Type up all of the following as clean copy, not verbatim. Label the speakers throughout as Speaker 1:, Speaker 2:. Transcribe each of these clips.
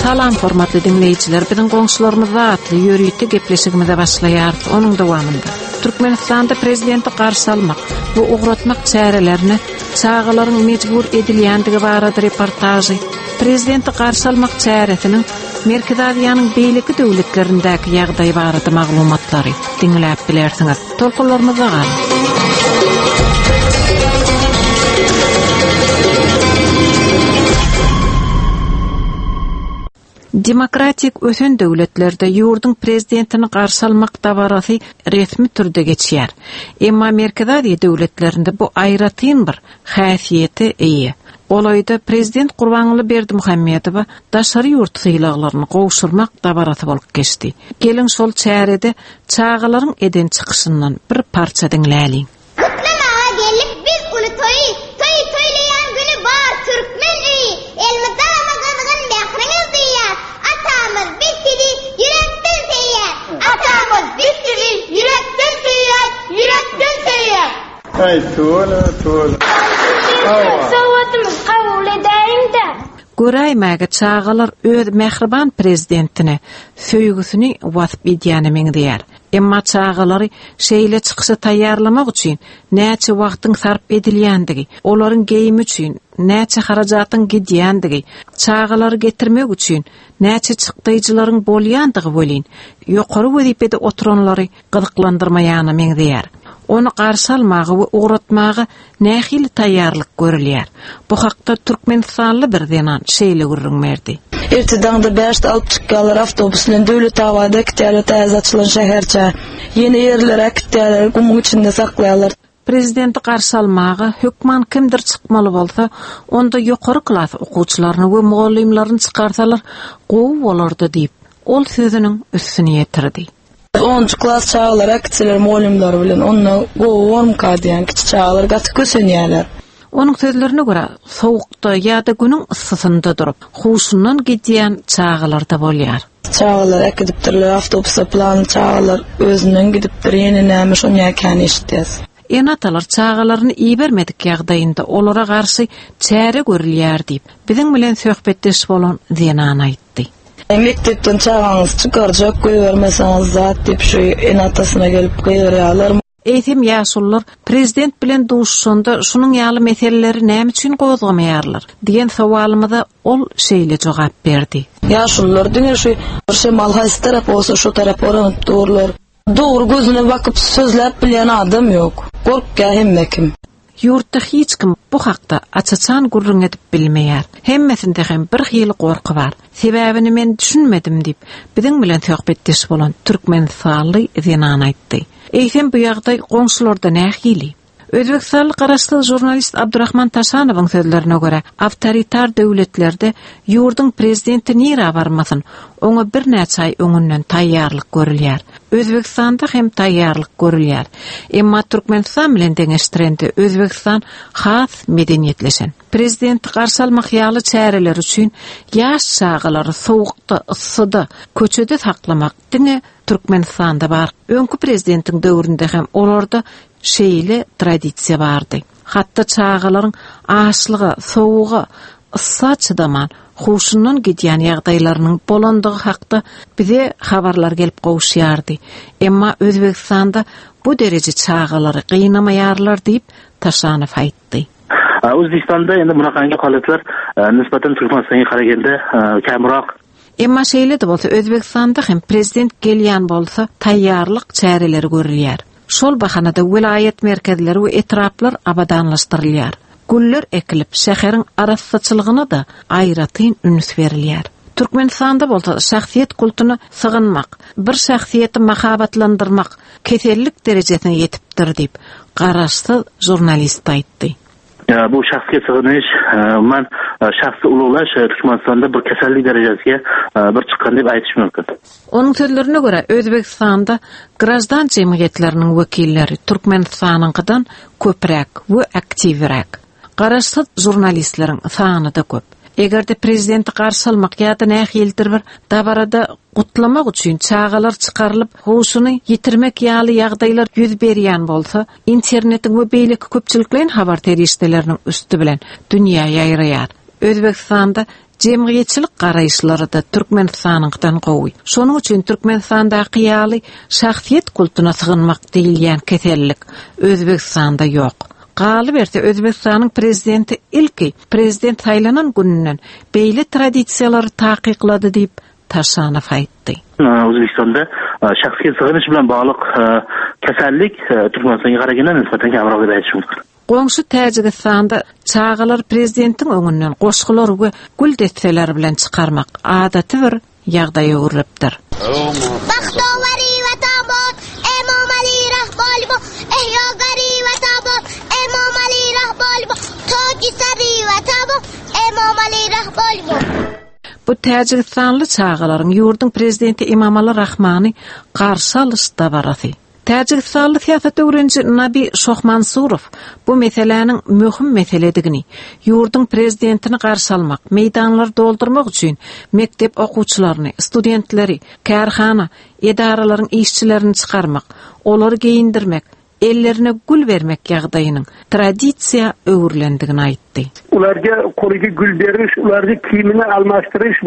Speaker 1: Salam hormatly diňleýjiler, biziň goňşularymyzda atly ýörite gepleşigimize başlaýarys. Onuň dowamynda Türkmenistanda prezidenti garşy almak we ugratmak çärelerine çagalaryň mejbur edilýändigi barada reportažy, prezidenti garşy almak çäresiniň Merkezi Aziýanyň beýleki döwletlerindäki ýagdaý barada maglumatlary diňläp bilersiňiz. Tolkunlarymyzda galyň. Demokratik ösen döwletlerde ýurduň prezidentini garşy almak dabarasy resmi türde geçýär. Emma Merkezi Aziýa döwletlerinde bu aýratyn bir häsiýete eýe. Golaýda prezident Gurbanguly Berdimuhamedowa daşary ýurt sylaglaryny gowşurmak dabarasy bolup geçdi. Geliň şol çärede çagalaryň eden çykyşyndan bir parça diňläliň.
Speaker 2: Gutlamaga geldik biz uly toýy, Toý toýlaýan güni bar türkmen öýi, Elmydama gyzgyn mähriňiz duýýas, Atamyz biz sizi ýürekden söýýäs.
Speaker 3: Atamyz biz sizi ýürekden söýýäs, ýürekden söýýäs.
Speaker 4: Aý tüweleme tüweleme.
Speaker 5: Hawa. Sowgatymyzy kabul edäýiň-dä.
Speaker 1: Göräýmäge çagalar öz mähriban prezidentine söýgüsini wasp edýäne meňzeýär. Emma çagalary şeýle çykyşa taýýarlamak üçin näçe wagtyň sarp edilýändigi, olaryň geýimi üçin näçe harajatyň gidýändigi, çagalary getirmek üçin näçe çykdaýjylaryň bolýandygy welin, ýokary wezipede oturanlary gyzyklandyrmaýana meňzeýär. Ony garşy almaga we ugratmaga Nähili taýýarlyk görülýär? Bu hakda türkmenistanly bir zenan şeýle gürrüň berdi.
Speaker 6: Erte daňda bäşde alyp çykýarlar awtobus bilen Döwletabada äkitýärler täze açylan şäherçä. Ýene ýerlere äkitýärler, gumuň içinde saklaýarlar.
Speaker 1: Prezidenti garşy almaga hökman kimdir çykmaly bolsa, onda ýokary klas okuwçylaryny we mugallymlaryny çykarsalar gowy bolardy diýip, ol sözüniň üstüni ýetirdi.
Speaker 6: Onunjy klas çagalary äkitseler mugallymlary bilen onda gowy bormyka diýýän kiçi çagalar gaty kösenýärler.
Speaker 1: Onuň sözlerine görä, sowukda ýa-da günüň yssysynda durup, huşundan gidýän çagalar-da bolýar.
Speaker 6: Çagalary äkidipdirler awtobusda pylany çagalar özünden gidipdir ýene näme şonýa kän eşitýäs.
Speaker 1: Ene-atalar çagalaryny ibermedik ýagdaýynda olara garşy çäre görülýär diýip, biziň bilen söhbetdeş bolan zenan aýtdy.
Speaker 6: Mekdepden çagaňyzy çykarjak, goýbermeseňiz zat diýip şu ene-atasyna gelip gygyrýarlar.
Speaker 1: Eýsem ýaşulular prezident bilen duşuşanda şunuň ýaly meseleleri näme üçin gozgamaýarlar? diýen sowalymyza ol şeýle jogap berdi.
Speaker 6: Ýaşulular diňe şu bir şemal haýsy tarap bolsa şo tarapa yranyp durlar. Dogry gözüne bakyp sözläp bilýän adam ýok. Gorkýar hemme kim.
Speaker 1: Ýurtda hiç kim bu hakda aç-açan gürrüň edip bilmeýär. Hemmesinde hem bir hili gorky bar. Sebäbini men düşünmedim diýip, biziň bilen söhbetdeş bolan türkmenistanly zenan aýtdy. Eýsem bu ýagdaý goňşularda nähili? Özbegistanly garaşsyz žurnalist Abdurahman Taşanowyň sözlerine görä, awtoritar döwletlerde ýurduň prezidenti nirä barmasyn, oňa birnäçe aý öňünden taýýarlyk görülýär. Özbegistanda hem taýýarlyk görülýär. Emma Türkmenistan bilen deňeşdirende Özbegistan has medeniýetleşen. Prezidenti garşy almak ýaly çäreler üçin ýaş çagalary sowukda, yssyda, köçede saklamak diňe Türkmenistanda bar. Öňki prezidentiň döwründe hem olarda şeýle tradisiýa bardy. Hatda çagalaryň açlyga, sowuga, yssa çydaman, huşundan gidýän ýagdaýlarynyň bolandygy hakda bize habarlar gelip gowuşýardy. Emma Özbegistanda bu dereje çagalary gynamaýarlar diýip, Taşanow aýtdy.
Speaker 7: Özbegistanda endi bunaqangi holatlar nisbatan Turkmanistonga qaraganda kamroq.
Speaker 1: Emma şeýle-de bolsa, Özbegistanda hem prezident gelýän bolsa, taýýarlyk çäreleri görülýär. Şol bahanada welaýat merkezleri we etraplar abadanlaşdyrylýar. Güller ekilip, şäheriň arassaçylygyna-da aýratyn üns berilýär. Türkmenistanda bolsa şahsyýet kultuna sygynmak, bir şahsyýeti mahabatlandyrmak kesellik derejesine ýetipdir diýip, garaşsyz žurnalist aýtdy.
Speaker 7: Bu şahsga sygynyş, umuman, şahsy uluglaş Türkmenistanda bir kesellik derejesige bir çykan diýip aýdyş mümkin.
Speaker 1: Onuň sözlerine görä, Özbegistanda graždan jemgyýetleriniň wekilleri Türkmenistanyňkydan köpräk we aktiwräk. Garaşsyz žurnalistleriň sany-da köp. Eger-de prezidenti garşy almak ýa-da nähilidir bir dabarada gutlamak üçin çagalar çykarylyp, huşuny ýitirmek ýaly ýagdaýlar ýüz berýän bolsa, internetiň we beýleki köpçülikleýin habar serişdeleriniň üsti bilen dünýä ýaýraýar. Özbegistanda jemgyýetçilik garaýyşlary-da Türkmenistanyňkydan gowy. Şonuň üçin Türkmenistandaky ýaly şahsyýet kultuna sygynmak diýilýän kesellik Özbegistanda ýok. Galyberse, Özbegistanyň prezidenti ilki prezident saýlanan gününden beýle tradisiýalary takyklady diýip, Taşanow aýtdy.
Speaker 7: Özbegistanda şahsyýet sygynyş bilen bagly kesellik Türkmenistanga garaganda nisbatan kamroq deb aytish mumkin.
Speaker 1: Goňşy Täjigistanda çagalary prezidentiň öňünden goşgular we gül desseleri bilen çykarmak adaty bir ýagdaýa öwrülipdir.
Speaker 2: Bagtowary Watan bot, Emomali Rahboli bo, Ehýogari Watan bot, Emomali Rahboli bo, Tojisari Watan bo, Emomali Rahboli bo.
Speaker 1: Bu täjigistanly çagalaryň ýurduň prezidenti Emomali Rahmany garşy alyş dabarasy. Täjigistanly syýasat öwreniji Nabi Şohmansurow bu meseläniň möhüm meseledigini, ýurduň prezidentini garşy almak, meýdanlary doldurmak üçin mekdep okuwçylaryny, studentleri, kärhana, edaralaryň işçilerini çykarmak, olary geýindirmek, ellerine gül bermek ýagdaýynyň tradisiýa öwrülendigini aýtdy.
Speaker 8: Ularga qo'liga gul berish, ularga kiyimini almashtirish,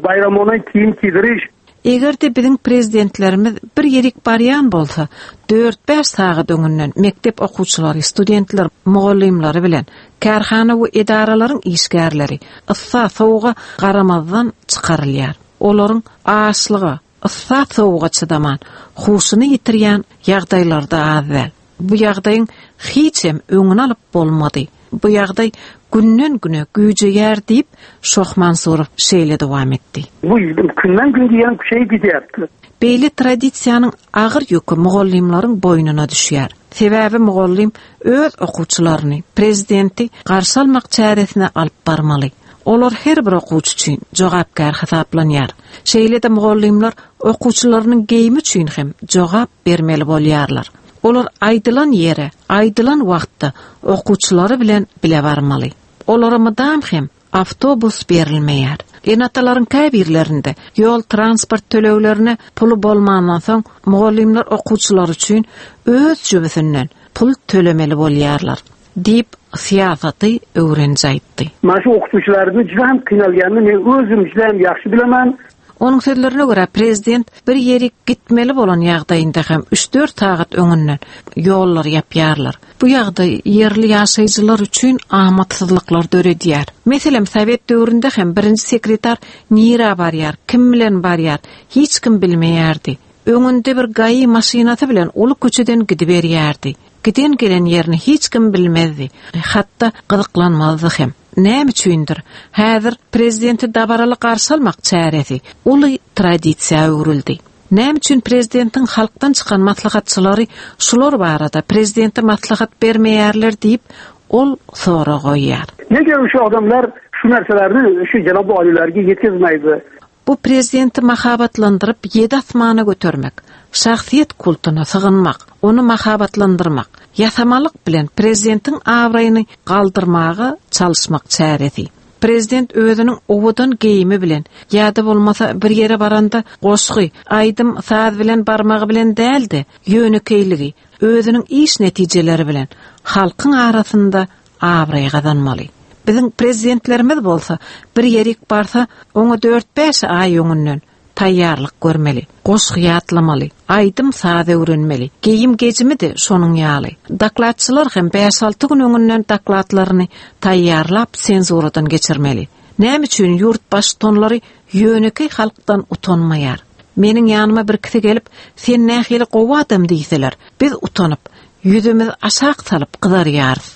Speaker 8: bayramona kiyim kiydirish.
Speaker 1: Eger-de biziň prezidentlerimiz bir ýerik barýan bolsa, dört-bäş sagat öňünden mekdep okuwçylary, studentler, mugallymlary bilen kärhana we edaralaryň işgärleri yssa, sowuga garamazdan çykarylýar. Olaryň açlyga, yssa, sowuga çydaman, huşuny ýitirýän ýagdaýlary-da az däl. Bu ýagdaýyň hiçem öňüni alyp bolmady. Bu ýagdaý günden-güne güýjeýär diýip, Şohmansurow şeýle dowam etdi.
Speaker 8: Bu günden-gün diýen şeý gidýärdi.
Speaker 1: Beýle tradisiýanyň agyr ýüki mugallymlaryň boýnuna düşýär. Sebäbi mugallym öz okuwçylaryny prezidenti garşy almak çäresine alyp barmaly. Olar her bir okuwçy üçin jogapkär hasaplanýar. Şeýle-de mugallymlar okuwçylarynyň geýimi üçin hem jogap bermeli bolýarlar. Olar aýdylan ýere, aýdylan wagtda okuwçylary bilen bile barmaly. Olara mydam hem awtobus berilmeýär. Ene-atalaryň käbirlerinde ýol-transport töleglerine puly bolmandan soň, mugallymlar okuwçylary üçin öz jübüsinden pul tölemeli bolýarlar, diýip, syýasaty öwreniji aýtdy.
Speaker 8: Mana şu okuwçylaryny juda hem kynalýanyny men özüm juda hem ýagşy bilemen.
Speaker 1: Onuň sözlerine görä, prezident bir ýerik gitmeli bolan ýagdaýynda hem üç-dört sagat öňünden ýollary ýapýarlar. Bu ýagdaý ýerli ýaşaýjylar üçin amatsyzlyklar döredýär. Meselem, sowet döwründe hem birinji sekretar nirä barýar, kim bilen barýar, hiç kim bilmeýärdi. Öňünde bir GAI maşynasy bilen uly köçeden gidiberýärdi. Giden-gelen ýerini hiç kim bilmezdi, hatda gyzyklanmazdy hem. Näme üçindir, häzir prezidenti dabaraly garşy almak çäresi uly tradisiýa öwrüldi. Näme üçin prezidentiň halkdan çykan maslahatçylary şular barada prezidente maslahat bermeýärler diýip, ol sorag goýýar.
Speaker 8: Nega şu adamlar şu narsalarni şu janobi oliylarga yetkazmaydi?
Speaker 1: Bu prezidenti mahabatlandyryp ýedi asmana götermek, şahsyýet kultuna sygynmak, ony mahabatlandyrmak, ýasamalyk bilen prezidentiň abraýyny galdyrmaga çalyşmak çäresi. Prezident özüniň owadan geýimi bilen ýa-da bolmasa bir ýere baranda goşgy, aýdym, saz bilen barmagy bilen däl-de, ýönekeýligi, özüniň iş netijeleri bilen halkyň arasynda abraý gazanmaly. Biziň prezidentlerimiz bolsa bir ýerik barsa, oňa dört-bäş aý öňünden taýýarlyk görmeli, goşgy ýatlamaly, aýdym-saz öwrenmeli, geýim-gejimi-de şonuň ýaly. Dokladçylar hem bäş-alty gün öňünden dokladlaryny taýýarlap senzuradan geçirmeli. Näme üçin ýurt baştutanlary ýönekeý halkdan utanmaýar? Meniň ýanyma birkisi gelip, sen nähili gowy adam diýseler, biz utanyp, Ýüzümizi aşak salyp gyzarýarys.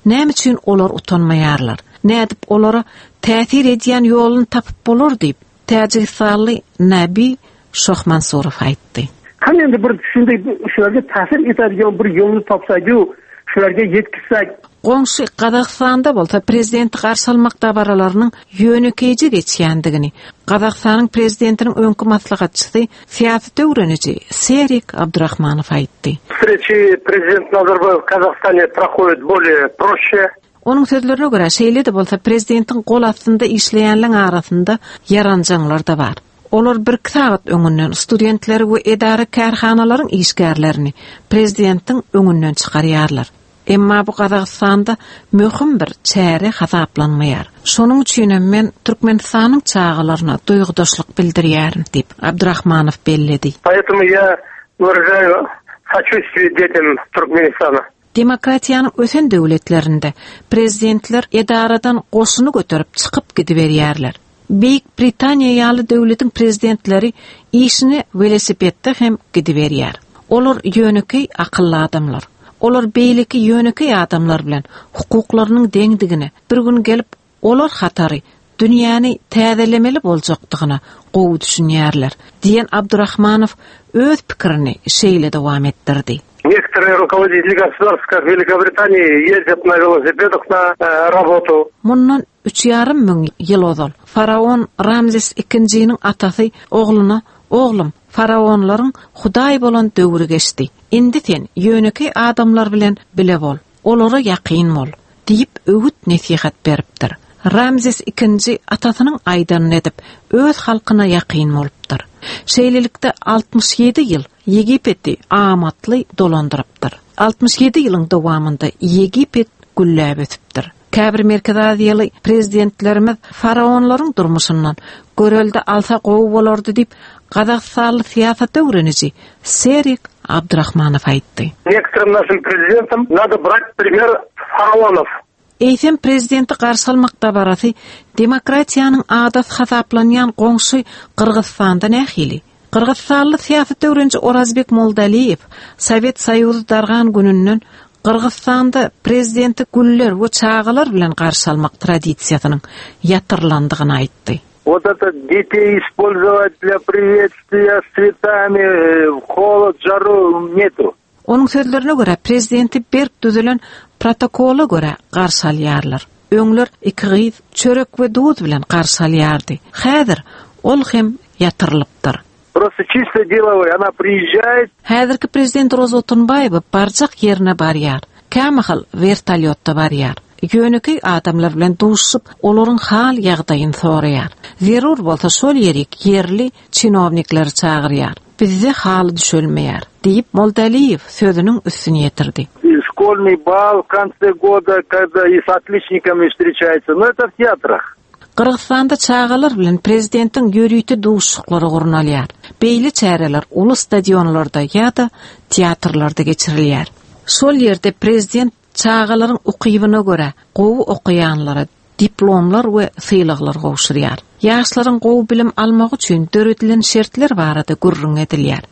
Speaker 1: Näme üçin olar utanmaýarlar? Nädip olara täsir edýän ýoluny tapyp bolar diýip, täjigistanly Nabi Şohmansurow aýtdy.
Speaker 8: Hany indi bir şunday şularga ta'sir etadigan bir yo'lni topsak-u, shularga yetkizsak.
Speaker 1: Goňşy Gazagystanda bolsa prezidenti garşy almak dabaralarynyň ýönekeýje geçýändigini Gazagystanyň prezidentiniň öňki maslahatçysy Syýasat öwreniji Serik Abdurahmanow aýtdy.
Speaker 8: Встречи президент Назарбаев в Казахстане проходят более проще.
Speaker 1: Onuň sözlerine görä, şeýle-de bolsa prezidentiň gol astynda işleýänleň arasynda ýaranjaňlar-da bar. Olar birki sagat öňünden studentleri we edara-kärhanalaryň işgärlerini prezidentiň öňünden çykarýarlar. Emma bu Gazagystanda möhüm bir çäre hasaplanmaýar. Şonuň üçinem men Türkmenistanyň çagalaryna duýgudaşlyk bildirýärin diýip, Abdurahmanow belledi.
Speaker 8: Поэтому я выражаю сочувствие детям Туркменистана.
Speaker 1: Demokratiýanyň ösen döwletlerinde prezidentler edaradan goşuny göterip çykyp gidiberýärler. Beýik Britaniýa ýaly döwletiň prezidentleri işine welosipedde hem gidiberýär. Olar ýönekeý akylly adamlar. Olar beýleki ýönekeý adamlar bilen hukuklarynyň deňdigine, bir gün gelip olar hatary dünýäni täzelemeli boljakdygyna gowy düşünýärler, diýen Abdurahmanow öz pikirini şeýle dowam etdirdi.
Speaker 8: Некоторые руководители государств, как Великобритания, ездят на велосипедах на э, работу.
Speaker 1: Mundan üç ýarym müň ýyl ozal faraon Ramzes II-niň atasy ogluna, Oglum, faraonlaryň hudaý bolan döwri geçdi. Indi sen ýönekeý adamlar bilen bile bol, olara ýakyn bol. Diýip, öwüt-nesihat beripdir. Ramzes ikinji atasynyň aýdanyny edip, öz halkyna ýakyn bolupdyr. Şeýlelikde, 67 ýyl Ýegipeti amatly dolandyrypdyr. 67 ýylyň dowamynda Ýegipet gülläp ösüpdir. Käbir Merkezi Aziýaly prezidentlerimiz faraonlaryň durmuşyndan görelde alsa gowy bolardy diýip, gazagystanly syýasat öwreniji Serik Abdurahmanow aýtdy.
Speaker 8: Некоторым нашим президентам надо брать пример с фараонов.
Speaker 1: Eýsem, prezidenti garşy almak dabarasy demokratiýanyň adasy hasaplanýan goňşy Gyrgyzystanda nähili? Gyrgyzystanly syýasat öwreniji Orazbek Moldaliýew Sowet Soýuzy dargan gününden Gyrgyzystanda prezidenti güller we çagalar bilen garşy almak tradisiýasynyň ýatyrylandygyny aýtdy.
Speaker 9: Wot eto detey ispolzowat dlya priwetstwiya s swetami w holod, žaru netu.
Speaker 1: Onuň sözlerine görä, prezidenti berk düzülen protokola görä garşy alýarlar. Öňler iki gyz çörek we duz bilen garşy alýardy. Häzir ol hem ýatyrylypdyr.
Speaker 9: Prosto çisto delowoý, ona priýežžaýet.
Speaker 1: Häzirki prezident Roza Otunbaýewa barjak ýerine barýar. Kämahal wertolýotda barýar. Ýönekeý adamlar bilen duşuşyp, olaryň hal-ýagdaýyny soraýar. Zerur bolsa şol ýerik ýerli çinownikleri çagyrýar. Bizde haly düşelmeýär, diýip, Moldaliýew sözüniň üstüni ýetirdi.
Speaker 9: Şkolnyý bal w konse goda, kogda i s otliçnikami wstreçaýutsa, no eto w teatrah.
Speaker 1: Gyrgyzystanda çagalar bilen prezidentiň ýörite duşuşyklary gurnalýar. Beýle çäreler uly stadionlarda ýa-da teatrlarda geçirilýär. Şol ýerde prezident çagalaryň ukybyna görä gowy okaýanlara diplomlar we sylaglar gowşurýar. Ýaşlaryň gowy bilim almagy üçin döredilen şertler barada gürrüň edilýär.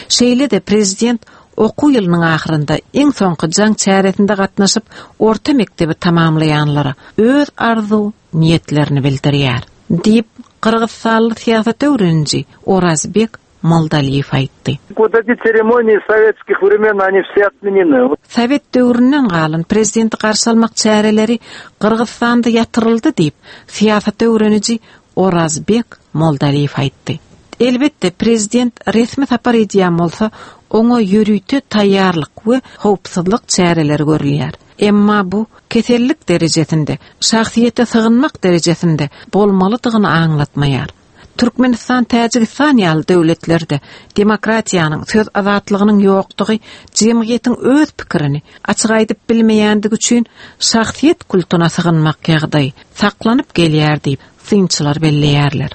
Speaker 1: Şeýle-de prezident okuw ýylynyň ahyrynda iň soňky jaň çäresinde gatnaşyp, orta mekdebi tamamlaýanlara öz arzuw niýetlerini bildirýär, diýip, gyrgyzystanly syýasat öwreniji Orazbek Moldaliýew aýtdy.
Speaker 9: Wot eti tseremoniýi sowetskih wremen oni wse otmeneny.
Speaker 1: Sowet döwründen galan prezidenti garşy almak çäreleri Gyrgyzystanda ýatyryldy diýip, syýasat öwreniji Orazbek Moldaliýew aýtdy. Elbetde, prezident resmi sapar edýän bolsa, oňa ýörite taýýarlyk we howpsuzlyk çäreleri görülýär. Emma bu kesellik derejesinde, şahsyýete sygynmak derejesinde bolmalydygyny aňlatmaýar. Türkmenistan, Täjigistan ýaly döwletlerde demokratiýanyň, söz azatlygynyň ýokdugy jemgyýetiň öz pikirini açyk aýdyp bilmeýändigi üçin şahsyýet kultuna sygynmak ýagdaýy saklanyp gelýär diýip, synçylar belleýärler.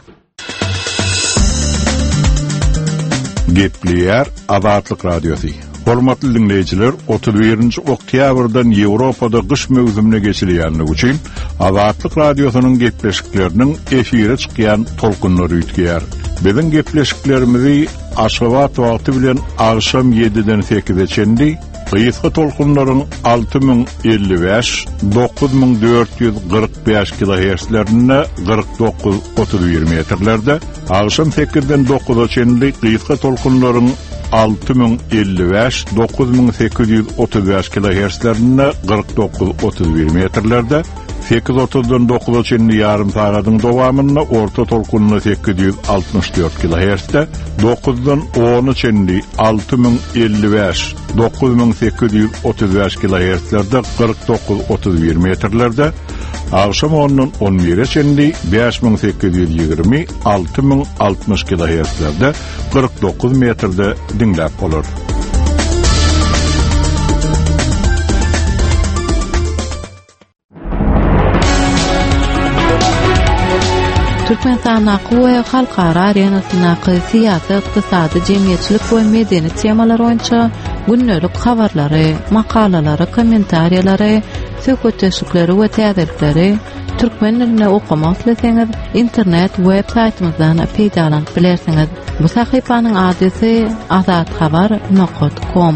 Speaker 10: Gepleýär Azatlyk Radiosy. Hormatly diňleýjiler, 31-nji oktýabrdan Ýewropada gyş möwsümine geçilýänligi üçin Azatlyk Radiosynyň gepleşikleriniň efire çykýan tolkunlary üýtgeýär. Biziň gepleşiklerimizi Aşgabat wagty bilen agşam ýediden sekize çenli gysga tolkunlaryň 6055, 9445 kilohertzlerinde 49 31 metrlerde, agşam sekizden dokuza çenli gysga tolkunlaryň 6055, 9835 kilohertzlerinde 49 31 metrlerde. 8.30-dan 9-a çenli ýarym sagadyň dowamynda orta tolkunly 864 kHz-de, 9-dan 10-a çenli 6055, 9835 kHz-lerde 49-31 metrlerde, agşam 10-dan 11-e çenli 5820, 6060 kHz-lerde 49 metrde diňläp bolar.
Speaker 11: Türkmenistandaky we halkara arenasyndaky syýasy, ykdysady, jemgyýetçilik we medeni temalar boýunça gündelik habarlary, makalalary, kommentariýalary, söhbetdeşlikleri we täzelikleri türkmen dilinde okamak isleseňiz, internet web saýtymyzdan peýdalanyp bilersiňiz. Bu sahypanyň adresi azathabar nokat kom.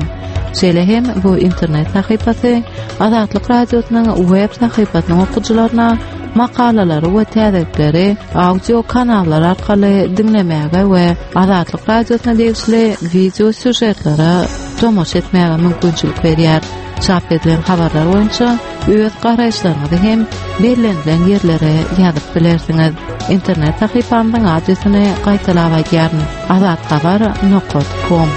Speaker 11: Şeýle hem bu internet sahypasy Azatlyk Radiosynyň web sahypasynyň okyjylaryna makalalary we täzelikleri audio kanallar arkaly diňlemäge we Azatlyk Radiosyna degişli wideo sýužetlere tomaşa etmäge mümkinçilik berýär. Çap edilen habarlar boýunça öz garaýyşlaryňyzy hem bellenilen ýerlere ýazyp bilersiňiz. Internet sahypamyzyň adresini gaýtalap aýdýaryn, azathabar nokat kom.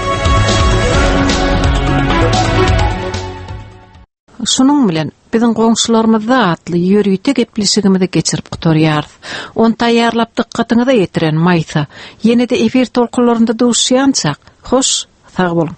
Speaker 1: Şunuň bilen, Biziň goňşularymyzda atly ýörite gepleşigimizi geçirip gutarýarys. Ony taýýarlap dykgatyňyza ýetiren Maýsa. Ýene-de efir tolkunlarynda duşýançak, hoş, sag boluň!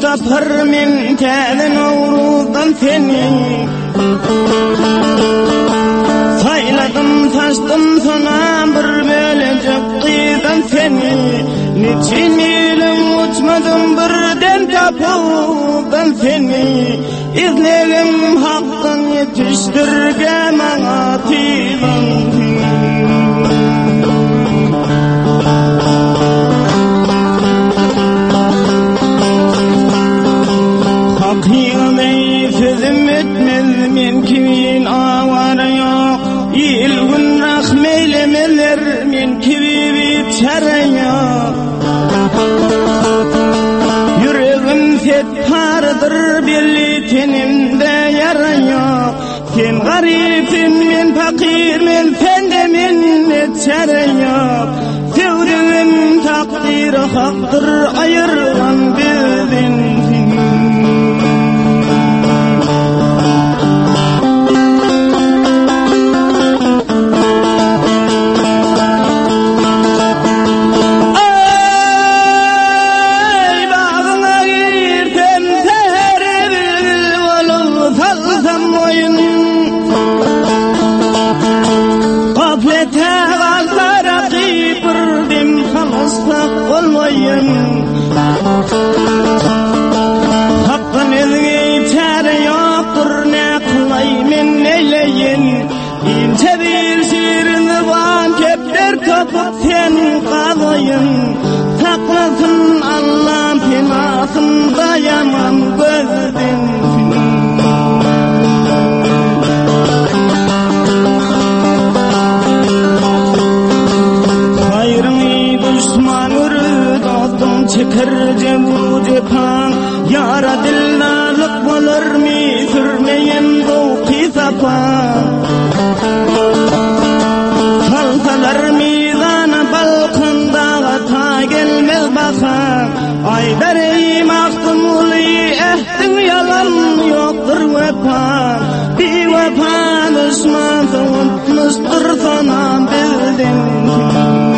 Speaker 12: Tapar men täze Nowruzdan seni Saýladym saçdym sona bir bölejek gyzdan seni Niçin ýylyň uçmadym birden tapawdan seni Izlegim hakdan ýetişdirge maňa tizan Hakyňy sözüm etmez men kimin awara ýok Il gün rahm eylemeler men kibi biçäre ýok Ýüregim setpardyr belli tenimde ýara ýok Sen garyp sen men fakir men sende mende çäre ýok Söwdügim takdyr hakdyr aýyrgan bizden Hakdan özge çäre ýokdur ne kylaý men neýleýin Inçe bir şirin zyban kepder tapyp sen gazaýyn Saklasyn Allam penasyn daýaman gözden Haýryňy duşman görür dostuň çeker jebru jepa Ýara dildarlyk bolarmy sürmeýen zowky sapa Salsalar mizana balkan daga ta gelmez baha Aýdar eý Magtymguly ähdiň ýalan ýokdur wepa Biwepa duşman sowutmyşdyr sonam bizden.